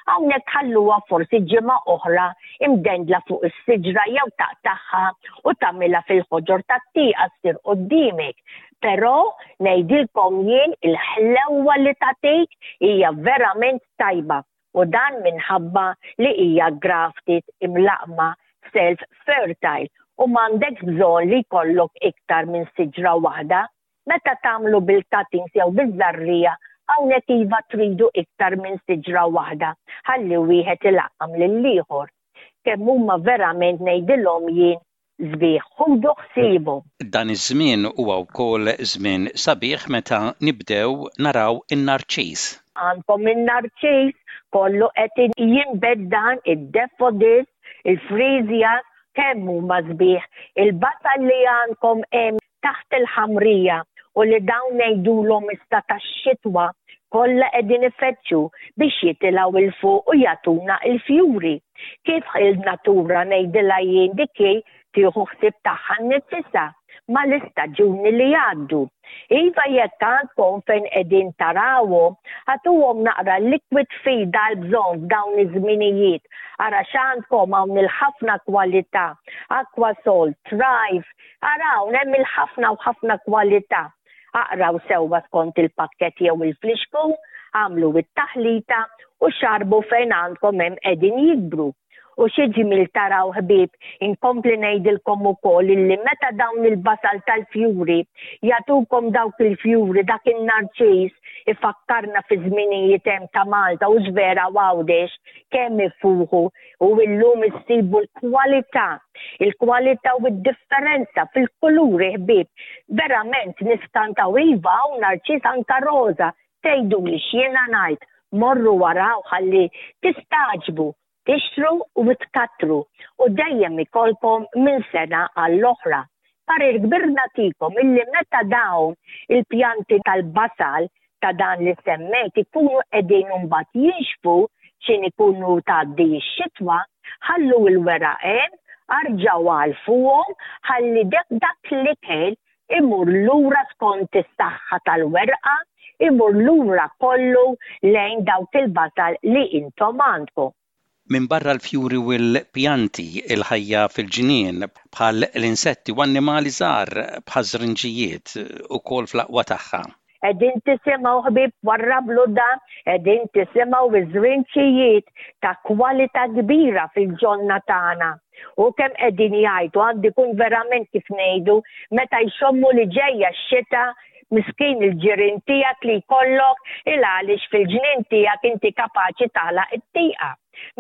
hawnhekk tħalluha forsi ġimgħa oħra imdendla fuq is-siġra jew taqtagħha u tagħmilha fil-ħoġor tat-tieqa ssir quddiemek. Però ngħidilkom jien il-ħlewwa li tagħtik hija verament tajba u dan minħabba li hija grafted imlaqqma self fertile u m'għandekx bżonn li jkollok iktar minn siġra waħda. Meta tagħmlu bil-cuttings jew biż-żarrija hawnhekk iva tridu iktar minn siġra waħda ħalli wieħed ilaqqam lill-ieħor. Kemm huma verament ngħidilhom jien sbieħ, ħudu ħsiebhom. Dan iż-żmien huwa wkoll żmien sabiħ meta nibdew naraw in-narċis. Għandkom in-narċis, kollu qed jinbet dan, id-daffodils, il-freesias, kemm huma sbieħ. Il-basal li għandkom hemm taħt il-ħamrija u li dawn ngħidulhom issa tax-xitwa kollha qegħdin ifeġġu biex jitilgħu 'l fuq u jagħtuna l-fjuri. Kif il-natura ngħidilha jien dik hi tieħu ħsieb tagħha nnifisha mal-istaġuni li jgħaddu. Iva jekk għandkom fejn qegħdin tarawhom, agħtuhom naqra liquid feed għall-bżonn f'dawn iż-żminijiet. Ara x'għandkom hawn il-ħafna kwalità, Aquasol, Thrive, Ara hawn hemm il-ħafna u ħafna kwalità. Aqraw sewwa skont il-pakkett jew il-flixkun, agħmlu it-taħlita u xarrbu fejn għandkom hemm qegħdin jikbru. U xi ġmiel taraw ħbieb, inkompli ngħidilkom ukoll illi meta dawn il-basal tal-fjuri jagħtukom dawk il-fjuri dak in-narċis ifakkarna fi żminijiet hemm ta' Malta hux vera u Għawdex kemm ifuħu u illum issibu l-kwalità, il-kwalità u d-differenza fil-kuluri ħbieb. Verament niskantaw iva hawn narċis anka roża, tgħiduli x'jiena ngħid, morru waraw ħalli tistagħġbu, tixtru u tkattru u dejjem ikollkom minn sena għall-oħra. Parir kbir nagħtikom illi meta dawn il-pjanti tal-basal ta' dan li semmejt ikunu qegħdin imbagħad jinxfu x'in ikunu tgħaddi x-xitwa, ħallu l-weraq hemm, arġgħu għalfuhom ħalli dak l-ikel imur lura skont is-saħħa tal-werqa, imur lura kollu lejn dawk il-basal li intom għandkom. Minbarra l-fjuri u l-pjanti, il-ħajja fil-ġnien, bħal l-insetti u annimali żgħar bħaż-żrinġijiet, ukoll fl-aqwa tagħha. Qegħdin tisimgħu ħbieb warrablu dan, qegħdin tisimgħu ż-żrinġijiet ta' kwalità kbira fil-ġonna tagħna. U kemm qegħdin jgħajtu għandu jkun verament kif ngħidu meta jxommu li ġejja x-xita Miskin il-ġirien tiegħek li jkollok il għaliex fil-ġnien tiegħek inti kapaċi tagħlaq it-tieqa.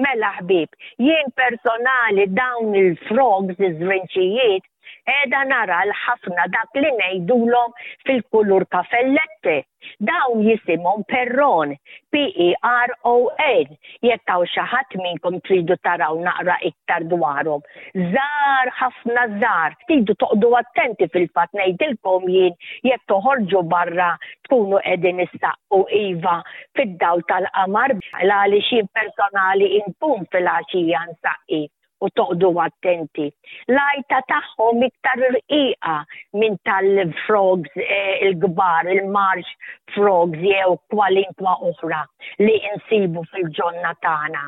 Mela ħbieb, jien personali dawn il-frogs, iż-żrinċijiet, qiegħda nara l-ħafna dak li ngħidulhom fil-kulur kafellette. Dawn jisimhom perron, P-E-R-O-N, jekk hawn xi ħadd minnkom tridu taraw naqra iktar dwarhom. Żgħar ħafna żgħar, tridu toqgħdu attenti fil-fatt ngħidilkom jien jekk toħorġu barra tkunu qegħdin issaqqu iva fid-dawl tal-qamar għaliex jien personali inkun filgħaxija nsaqqi u toqgħdu attenti. L-għajta tagħhom iktar irqiqa minn tal-frogs eh, il-kbar, il-marsh frogs jew kwalinkwa oħra li insibu fil-ġonna tagħna.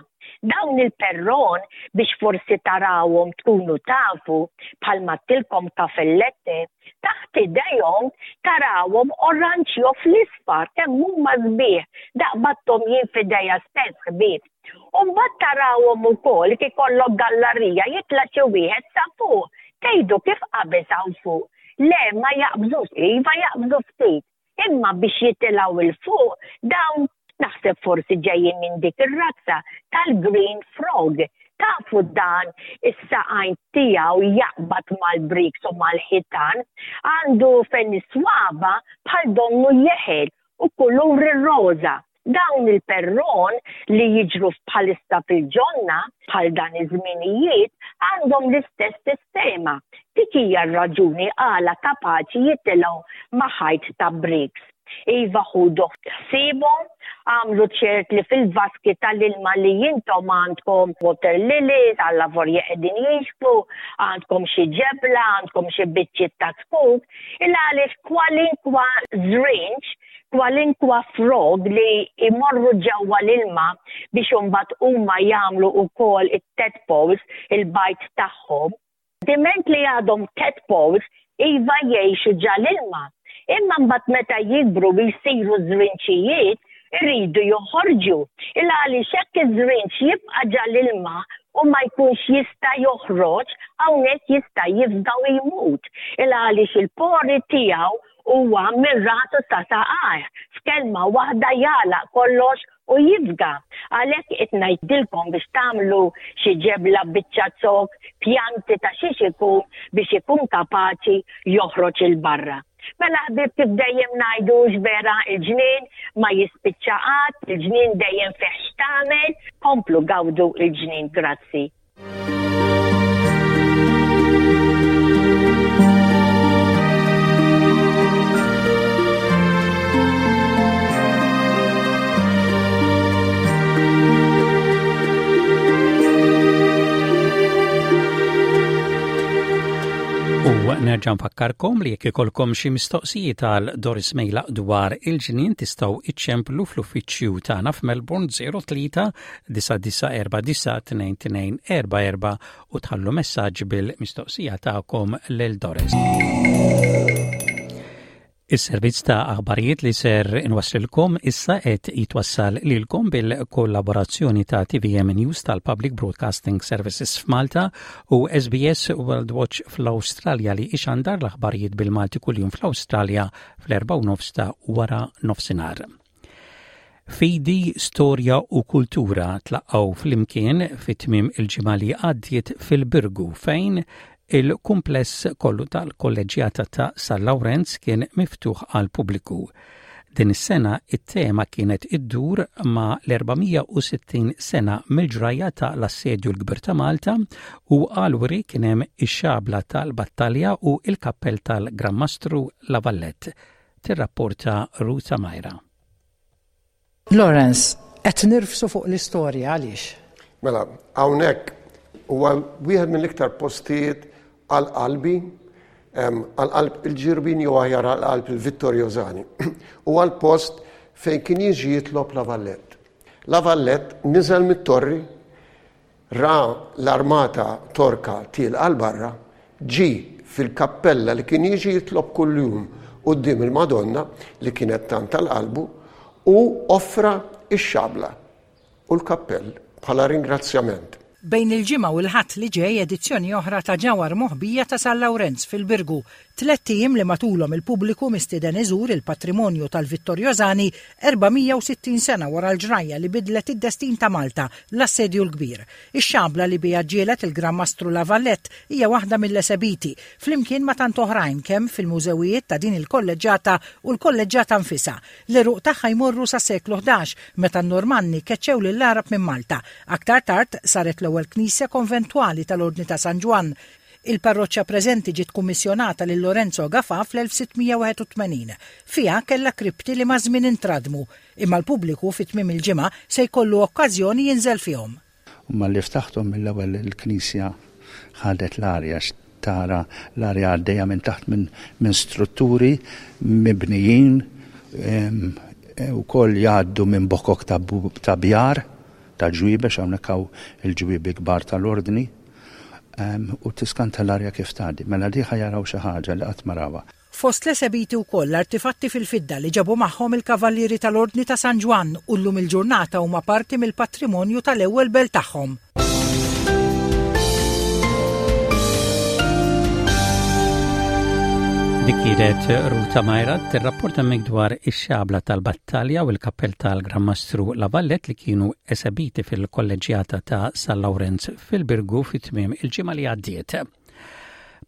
Dawn il-perron biex forsi tarawhom tkunu tafu bħalma tilkom kafellette taħt idejhom tarawhom oranġjo fl-isfar kemm huma sbieħ daqbatthom jien f'idejja stess ħbieb. U mbagħad tarawhom ukoll kif ikollok gallarija jitla' xi wieħed sa fuq. Tgħidu kif qabeż hawn fuq. Le ma jaqbżux, iva jaqbżu ftit. Imma biex jitilgħu 'l fuq dawn naħseb forsi ġejjin minn dik ir-razza tal-green frog. Tafu dan is-saqajn tiegħu jaqbad mal-bricks u mal-ħitan, għandu fejn is-swaba bħal donnu jeħel u kulur ir-roża. Dawn il-perron li jiġru bħalissa fil-ġonna bħal dan iż-żminijiet għandhom l-istess sistema. Dik hija r-raġuni għala kapaċi jitilgħu ma' ħajt ta' bricks. Iva ħudu ħsiebhom, agħmlu ċert li fil-vaski tal-ilma li intom għandkom water lilies, allavorja qegħdin jinxfu, għandkom xi ġebla, għandkom xi biċċiet ta' zkuk, il għaliex kwalinkwa żrinġ kwalinkwa frog li jmorru ġewwa l-ilma biex imbagħad huma jagħmlu wkoll it-tadpoles, il-bajd tagħhom. Diment li għadhom tadpoles, iva jgħixu ġa l-ilma. Imma mbagħad meta jikbru u jsiru żrinċijiet, iridu joħorġu. Il għaliex hekk iż-żrinċ jibqa' ġa l-ilma u ma jkunx jista' joħroġ, hawnhekk jista' jifga u jmut. Il għaliex il-pori tiegħu Huwa minn rasu sa saqajh, f'kelma waħda jagħlaq kollox u jifga. Għalhekk qed ngħidilkom biex tagħmlu xi ġebla biċċa zokk, pjanti ta' xiex ikun biex ikun kapaċi joħroġ 'il barra. Mela ħbieb kif dejjem ngħidu hux vera il-ġnien ma jispiċċa qatt, il-ġnien dejjem fih x'tagħmel, komplu gawdu l-ġnien. Grazzi. U nerġa' nfakkarkom li jekk ikolkom xi mistoqsijiet għal Doris Mejlaq dwar il-ġnien tistgħu iċċemplu fl-uffiċċju tagħna f'Melbourne 03 9949 2244 u tħallu messaġġ bil-mistoqsija tagħkom lil Doris. Is-servizz ta' aħbarijiet li ser inwasslilkom issa qed jitwassal lilkom bil-kollaborazzjoni ta' TVM News tal-Public Broadcasting Services f'Malta u SBS World Watch fl-Awstralja li ixandar l-aħbarijiet bil-Malti kuljum fl-Awstralja fl-4 ta' wara nofsinhar. Fidi, storja u kultura tlaqqgħu flimkien fi tmiem il-ġimgħa li għaddiet fil-Birgu fejn il-kumpless kollu tal-Kolleġġjata ta' San Lawrenz kien miftuħ għall-pubbliku. Din is-sena it-tema kienet iddur ma' l-460 sena mill-ġrajja ta' l-Assedju l-Kbir ta' Malta u għall-wiri kien hemm ix-xabla tal-battalja u l-kappell tal-Gran Mastru La Vallette, tirrapporta Ruth Amaira. Lawrence, qed nirfsu fuq l-istorja għaliex? Mela, hawnhekk huwa wieħed mill-iktar postijiet għal qalbi, għal qalb il-Ġirbin jew aħjar għal qalb il-Vittorjosani. Huwa l-post fejn kien jiġi jitlob La Vallette. La Vallette niżel mit-torri, ra l-armata Torka tielqa 'l barra, ġie fil-kappella li kien jiġi jitlob kuljum quddiem il-Madonna li kienet tant għal qalbu u offra x-xabla u l-kappell bħala ringrazzjament. Bejn il-Ġimgħa u l-Ħadd li ġej edizzjoni oħra ta' Ġawhar Moħbija ta' San Lawrenz fil-Birgu. Tlett ijiem li matulhom il-pubbliku mistieden iżur il-patrimonju tal-Vittorjosani 460 sena wara l-ġrajja li bidlet id-destin ta' Malta, l-Assedju l-Kbir. Ix-xabla li biha ġġieled il-Gran Mastru La Valette hija waħda mill-esebiti, flimkien ma' tant oħrajn kemm fil-mużewijiet ta' din il-kolleġġata u l-kolleġġata nfisha. L-għeruq tagħha jmorru sas-seklu 11, meta n-Normanni keċċew lill-Għarab minn Malta. Aktar tard saret l-ewwel knisja konventwali tal-Ordni ta' San Ġwann. Il-parroċċa preżenti ġiet kummissjonata lil Lorenzo Gafà fl-1681. Fiha kellha kripti li maż-żmien intradmu, imma l-pubbliku fi tmiem il-ġimgħa se jkollu okkażjoni jinżel fihom. U malli ftaħthom mill-ewwel il-knisja ħadet l-arja għax tara l-arja għaddejja minn taħt minn strutturi mibnijin ukoll jgħaddu minn bokok ta' bjar ta' ġwiebi għax hawnhekk hawn il-ġwiebi kbar tal-ordni u tiskanta l-arja kif tgħaddi. Mela di ħa jaraw xi ħaġa li qatt ma rawha. Fost l-esebiti wkoll artifatti fil-fidda li ġabu magħhom il-Kavallieri tal-Ordni ta' San Ġwann u llum il-ġurnata huma parti mill-patrimonju tal-ewwel belt tagħhom. Dik kienet Ruta Majra tirrapporta mek dwar ix-xabla tal-battalja u l-kappell tal-Gran Mastru La Vallet li kienu esebiti fil-kolleġjata ta' San Lawrenz fil-Birgu fit-tmiem il-ġimgħa li għaddiet.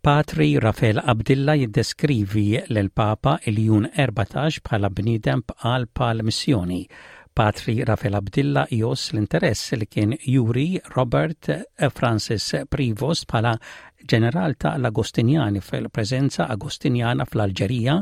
Patri Rafel Abdilla jiddeskrivi lill-Papa Iljun 14 bħala bniedem b'qalb għall-missjoni. Patri Rafel Abdilla jgħożż l-interess li kien juri Robert Francis Prevost bħala ġeneral ta' l-Agostinjani fil-preżenza Agostinjana fl-Alġerija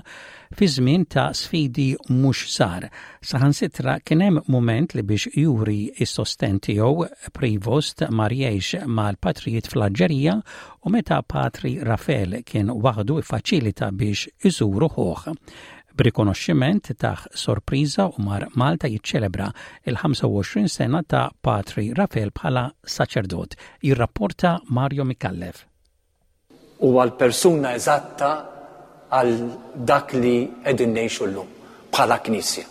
fi żmien ta' sfidi mhux żgħar. Saħansitra kien hemm mument li biex juri s-sostenn tiegħu Prevost mar jgħix mal-patrijiet fl-Alġerija u meta Patri Rafel kien waħdu iffaċilita biex iżuru ħuh. B'rikonoxximent tah sorpriża u mar Malta jiċċelebra il-25 sena ta' Patri Rafel bħala saċerdot, jirrapporta Mario Micallef. Huwa l-persuna eżatta għal dak li qegħdin ngħixu llum bħala Knisja.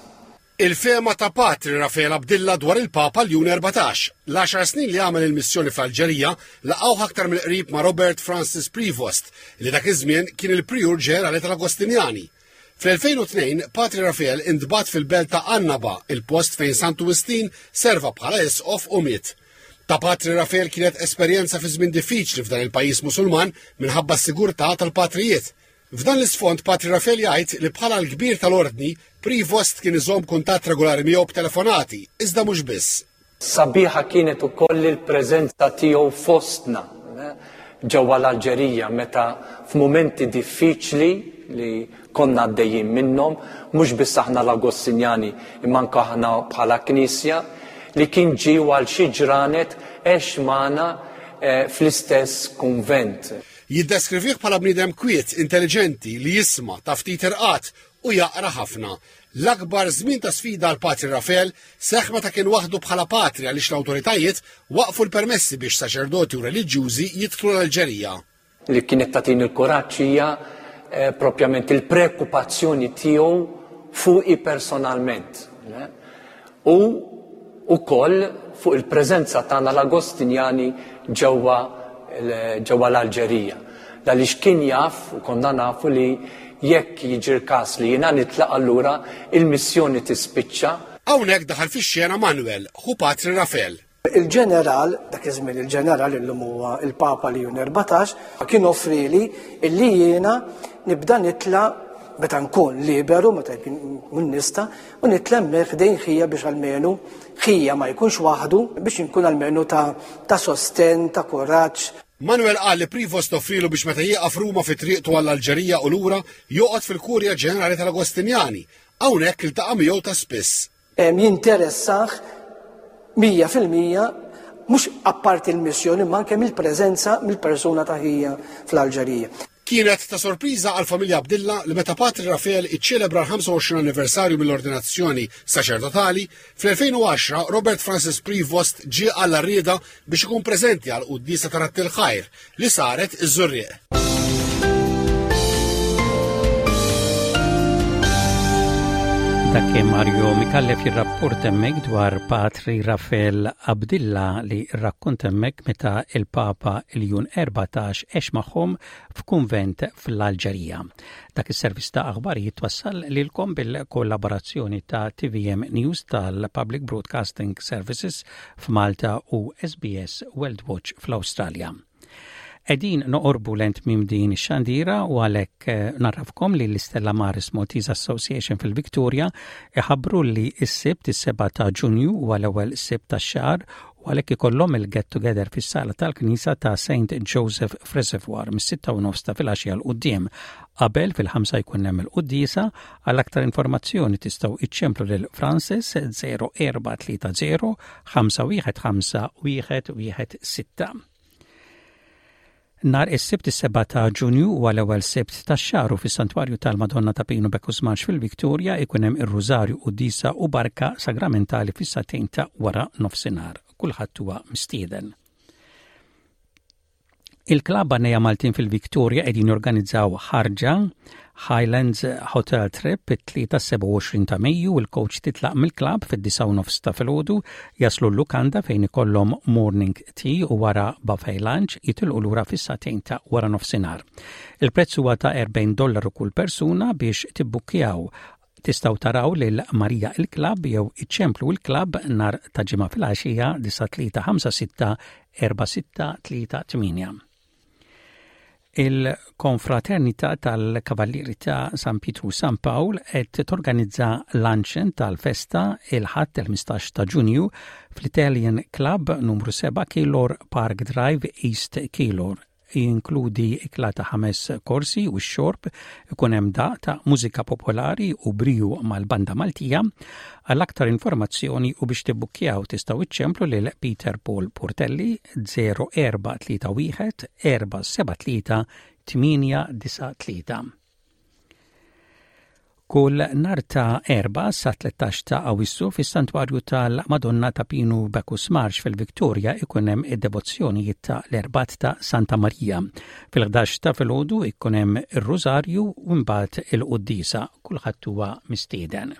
Il-fehma ta' Patri Raffaele Abdilla dwar il-Papa Ljun 14. L-għaxar snin li għamel il-missjoni fl-Alġerija laqgħuh aktar mill-qrib ma' Robert Francis Prevost li dak iż-żmien kien il-Prijur Ġenerali tal-Agostinjani. Fl-2002, Patri Raffaele intbagħat fil-belt ta' Annaba, il-post fejn Santu Wistin serva bħala isqof u miet. Ta' Patri Raffaele kienet esperjenza fi żmien diffiċli f'dan il-pajjiż Musulman minħabba s-sigurtà tal-patrijiet. F'dan l-isfond Patri Raffaele jgħid li bħala l-kbir tal-ordni, Prevost kien iżomm kuntatt regolari miegħu b'telefonati, iżda mhux biss. Sabiħa kienet ukoll il-preżenza tiegħu fostna ġewwa l-Alġerija meta f'mumenti diffiċli li konna għaddejjin minnhom, mhux biss aħna l-Agostinjani imma anke aħna bħala Knisja, li kien ġie u għal xi ġranet għex magħna eh, fl-istess kunvent. Jiddeskrivih bħala bniedem kwiet, intelliġenti, li jisma' ta' ftit irqad u jaqra ħafna. L-akbar żmien ta' sfida għal Patri Rafel seħħ meta kien waħdu bħala patri għaliex l-awtoritajiet waqfu l-permessi biex saċerdoti u reliġjużi jidħlu l-Alġerija. Li kienet tagħtini l-kuraġġ hija eh, propjament il-prekupazzjoni tiegħu fuqi personalment. U wkoll fuq il-preżenza tagħna l-Agostinjani ġewwa ġewwa l-Alġerija. Għaliex kien jaf u konna nafu li jekk jiġri l-każ li jiena nitlaq allura il-missjoni tispiċċa. Hawnhekk daħal fix-xena Manuel, ħu Patri Rafel. Il-ġeneral, dak iż-żmien il-ġeneral illum huwa il-Papa Ljun 14, kien offrieli illi jiena nibda nitla' meta nkun liberu, meta nkun nista', u nitla' hemmhekk ħdejn ħija biex almenu ħija ma jkunx waħdu, biex inkun almenu ta' ta' sostenn, ta' kuraġġ. Manuel qal li Prevost offrielu biex meta jieqaf Ruma fi triqtu għall-Alġerija u lura joqgħod fil-Kurja Ġenerali tal-Agostinjani. Hawnhekk iltaqa' miegħu ta' spiss. Jinteressah 100% mhux apparti l-missjoni imma anke mill-preżenza mill-persuna ta' ħija fl-Alġerija. Kienet ta' sorpriża għall-familja Abdilla li meta Patri Rafel iċċelebra l-25 anniversarju mill-ordinazzjoni saċerdotali, fl-2010 Robert Francis Prevost ġie għall-għarrieda biex ikun preżenti għal quddiesa ta' Radd il-Ħajr li saret iż-Żurrieq. Dak kien Mario Mikallef jirrapport hemmhekk dwar Patri Rafael Abdilla li rrakkonta hemmhekk meta il-Papa Ljun 14 għex magħhom f'kunvent fl-Alġerija. Dak is-servizz ta' aħbarijiet twassal lilkom bil-kollaborazzjoni ta' TVM News tal-Public Broadcasting Services f'Malta u SBS World Watch fl-Awstralja. Qegħdin noqorbu lejn tmiem din ix-xandira u għalhekk eh, narrafkom li l-Istella Maris Maltese Association fil-Victoria iħabbru li s-Sibt is-7 ta' Ġunju huwa l-ewwel Sibt tax-xahar u għalhekk ikollhom il-get together fis-sala tal-Knisja ta' St. Joseph F'Reservoir mis-6 u nofs ta' filgħaxija 'l quddiem. Qabel fil-ħamsa jkun hemm il-quddiesa, għal aktar informazzjoni tistgħu iċċemplu lil Francis 0430 515 116. Nhar is-Sibt is-7 ta' Ġunju huwa l-ewwel Sibt tax-xahar u fis-Santwarju tal-Madonna ta' Pinu Bekusmax fil-Victoria ikun hemm ir-Rużarju, Quddiesa u Barka Sagramentali fis-sagħtejn ta' wara nofsinhar. Kulħadd huwa mistieden. Il-klabb Għannejja Maltin fil-Victoria qegħdin jorganizzaw ħarġa Highlands Hotel Trip it-Tlieta 27 ta' Mejju, il-coach titlaq mill-klabb fid-disgħa u nofs ta' filgħodu, jaslu l-lukanda fejn ikollhom morning tea u wara buffet lunch jitilqu lura fis-sagħtejn ta' wara nofsinhar. Il-prezz huwa ta' 40 dollaru kull persuna biex tibbukkjaw Tistgħu taraw lil Marija il-klabb jew iċċemplu l-klabb nhar ta' Ġimgħa filgħaxija 9356 4638. Il-Konfraternità tal-Kavallieri ta' San Pietru San Pawl qed torganizza luncheon tal-festa il-Ħadd il-15 ta' Ġunju fl-Italian Club numru 7 Keilor Park Drive East Keilor. Jinkludi ikla ta' ħames korsi u x-xorb, ikun hemm daqq ta' mużika popolari u briju mal-Banda Maltija. Għal aktar informazzjoni u biex tibbukkjaw tistgħu iċċemplu lil Peter Paul Portelli 0431 473 893. Kull nhar ta' Erbgħa sa 13 ta' Awissu fis-Santwarju tal-Madonna ta' Pinu Bacchus Marsh fil-Victoria ikun hemm id-devozzjonijiet ta' l-Erbgħat ta' Santa Marija. Fil-11 ta' filgħodu ikun hemm ir-Rużarju u mbagħad il-quddiesa. Kulħadd huwa mistieden.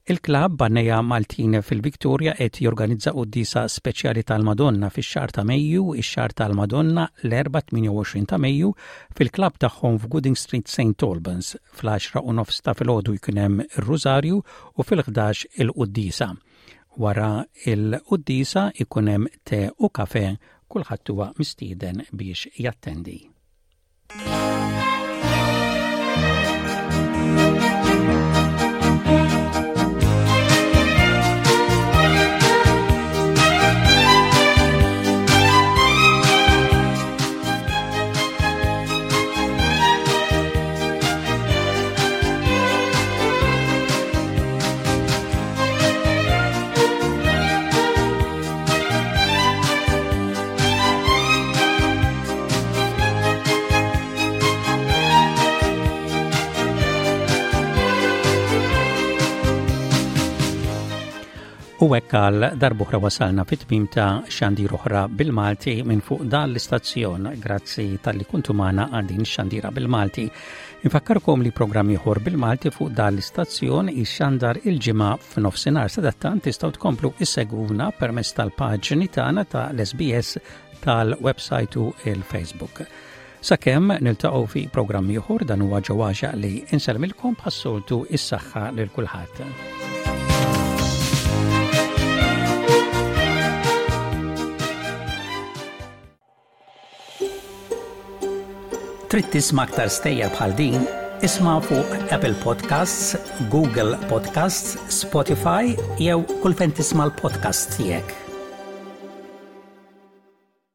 Il-klabb Bannejja Maltin fil-Victoria qed jorganizza quddiesa speċjali tal-Madonna fix-xahar ta' Mejju, ix-xahar tal-Madonna l-Erbgħa 28 ta' Mejju fil-klabb tagħhom f'Gooding Street St Albans. Fl-għaxra u nofs ta' filgħodu jkun hemm ir-Rużarju u fil-ħdax il-quddiesa. Wara il-quddiesa jkun hemm te u kafe, kulħadd huwa mistieden biex jattendi. U hekk għal darbuħra wasalna fit-tmim ta' xandir oħra bil-Malti minn fuq dan l-istazzjon. Grazzi tal-li kuntu magħna għal din xandira bil-Malti. Infakkarkom li programm ieħor bil-Malti fuq dan l-istazzjon ixxandar il-ġimgħa f'nofsinhar sadattant tistgħu tkomplu issegwuna permezz tal-paġni tagħna ta' l-SBS tal-website u il-Facebook. Sakemm niltaqgħu fi programm ieħor dan huwa ġewwaxa li insellmilkom bħas-soltu is-saħħa lil kulħadd. Trid tisma' aktar stejjer bħal din? Isma' fuq Apple Podcasts, Google Podcasts, Spotify jew kull fejn tisma' l-podcasts tiegħek.